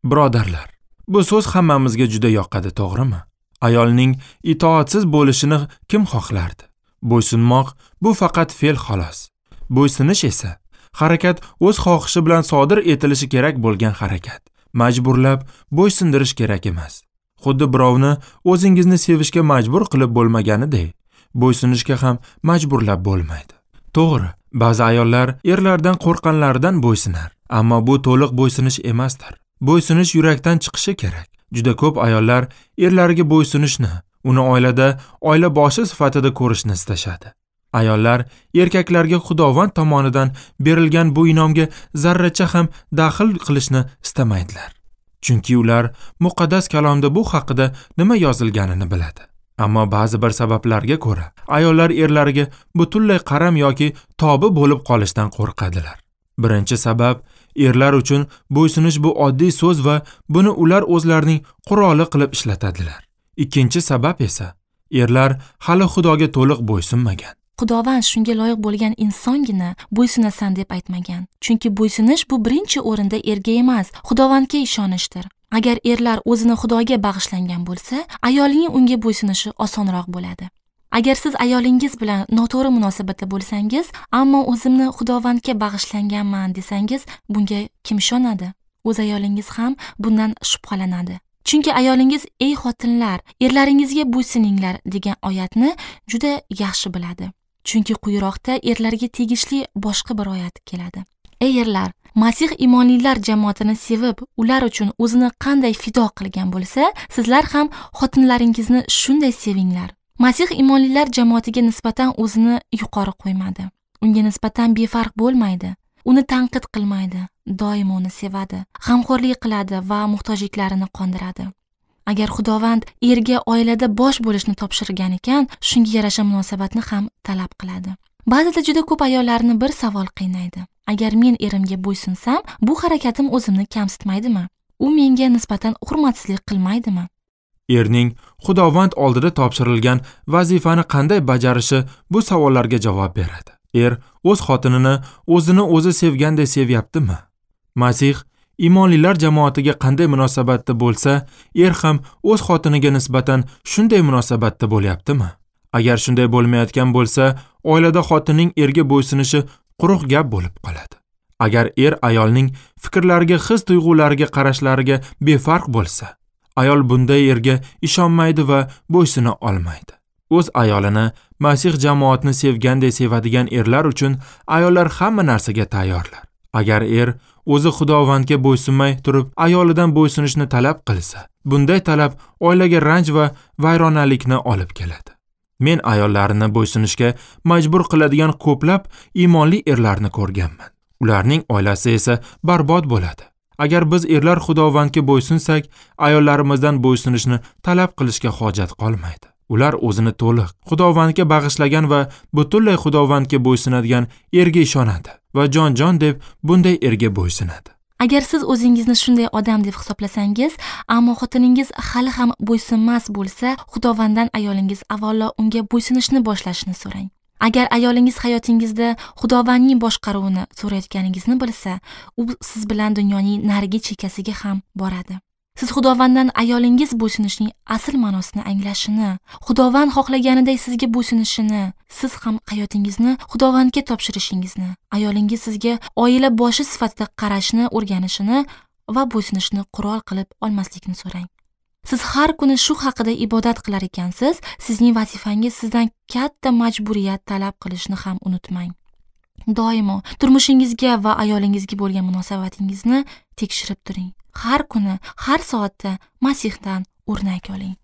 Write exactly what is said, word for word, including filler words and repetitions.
Birodarlar, bu so'z hammamizga juda yoqadi, to'g'rimi? Ayolning itoatsiz bo'lishini kim xohlardi? Bo'ysunmoq bu faqat fe'l xolos. Bo'ysunish esa harakat o'z xohishi bilan sodir etilishi kerak bo'lgan harakat. Majburlab bo'ysundirish kerak emas. Xuddi birovni o'zingizni sevishga majbur qilib bo'lmaganidek, bo'ysunishga ham majburlab bo'lmaydi. To'g'ri, ba'zi ayollar erlardan qo'rqqanlaridan bo'ysunar, ammo bu to'liq bo'ysunish emasdir. Bo'ysunish yurakdan chiqishi kerak. Juda ko'p ayollar erlariga bo'ysunishni, uni oilada oila boshi sifatida ko'rishni istashadi. Ayollar erkaklarga Xudovand tomonidan berilgan bu inomga zarracha ham daxl qilishni istamaydilar. Chunki ular muqaddas kalomda bu haqida nima yozilganini biladi. Ammo ba'zi bir sabablarga ko'ra ayollar erlariga butunlay qaram yoki tobi bo'lib qolishdan qo'rqadilar. Birinchi sabab, erlar uchun bo'ysunish bu oddiy so'z va buni ular o'zlarining quroli qilib ishlatadilar. Ikkinchi sabab esa, erlar hali Xudoga to'liq bo'ysunmagan. Xudovand shunga loyiq bo'lgan insongina bo'ysunasan deb aytmagan. Chunki bo'ysunish bu birinchi o'rinda erga emas, Xudovandga ishonishdir. Agar erlar o'zini Xudoga bag'ishlangan bo'lsa, ayolning unga bo'ysunishi osonroq bo'ladi. Agar siz ayolingiz bilan noto'g'ri munosabatda bo'lsangiz, ammo o'zimni Xudovandga bag'ishlanganman desangiz, bunga kim ishonadi? O'z ayolingiz ham bundan shubhalanadi. Chunki ayolingiz ey xotinlar, erlaringizga bo'ysuninglar degan oyatni juda yaxshi biladi. Chunki quyiroqda erlarga tegishli boshqa bir oyat keladi. Ey erlar, Masih imonlilar jamoatini sevib, ular uchun o'zini qanday fido qilgan bo'lsa, sizlar ham xotinlaringizni shunday sevinglar. Masih imonlilar jamoatiga nisbatan o'zini yuqori qo'ymadi. Unga nisbatan befarq bo'lmaydi. Uni tanqid qilmaydi, doimo uni sevadi, g'amxo'rlik qiladi va muhtojliklarini qondiradi. Agar Xudovand erga oilada bosh bo'lishni topshirgan ekan, shunga yarasha munosabatni ham talab qiladi. Ba'zida juda ko'p ayollarni bir savol qiynaydi. Agar men erimga bo'ysunsam, bu harakatim o'zimni kamsitmaydimi? U menga nisbatan hurmatsizlik qilmaydimi? Erning Xudovand oldida topshirilgan vazifani qanday bajarishi bu savollarga javob beradi. Er o'z xotinini o'zini o'zi sevganday sevyaptimi? Masih imonlilar jamoatiga qanday munosabatda bo'lsa, er ham o'z xotiniga nisbatan shunday munosabatda bo'lyaptimi? Agar shunday bo'lmayotgan bo'lsa, oilada xotinning erga bo'ysunishi quruq gap bo'lib qoladi. Agar er ayolning fikrlariga, his-tuyg'ulariga, qarashlariga befarq bo'lsa, ayol bunday erga ishonmaydi va bo'ysuna olmaydi. O'z ayolini Masih jamoatni sevganday sevadigan erlar uchun ayollar hamma narsaga tayyorlar. Agar er o'zi Xudovandga bo'ysunmay turib ayolidan bo'ysunishni talab qilsa, bunday talab oilaga ranj va vayronalikni olib keladi. Men ayollarni bo'ysunishga majbur qiladigan ko'plab iymonli erlarni ko'rganman. Ularning oilasi esa barbod bo'ladi. Agar biz erlar Xudovandga bo'ysunsak, ayollarimizdan bo'ysunishni talab qilishga hojat qolmaydi. Ular o'zini to'liq Xudovandga bag'ishlagan va butunlay Xudovandga bo'ysunadigan erga ishonadi va jon-jon deb bunday erga bo'ysunadi. Agar siz o'zingizni shunday odam deb hisoblasangiz, ammo xotiningiz hali ham bo'ysunmas bo'lsa, Xudovanddan ayolingiz avvalo unga bo'ysunishni boshlashini so'rang. Agar ayolingiz hayotingizda Xudovandning boshqaruvini so'rayotganingizni bilsa, u siz bilan dunyoning narigi chekkasiga ham boradi. Siz Xudovanddan ayolingiz bo'ysunishning asl ma'nosini anglashini, Xudovand xohlaganiday sizga bo'ysunishini, siz ham hayotingizni Xudovandga topshirishingizni, ayolingiz sizga oila boshi sifatida qarashni o'rganishini va bo'ysunishni qurol qilib olmaslikni so'rang. Siz har kuni shu haqida ibodat qilar ekansiz, sizning vazifangiz sizdan katta majburiyat talab qilishni ham unutmang. Doimo turmushingizga va ayolingizga bo'lgan munosabatingizni tekshirib turing. Har kuni, har soatda Masihdan o'rnak oling.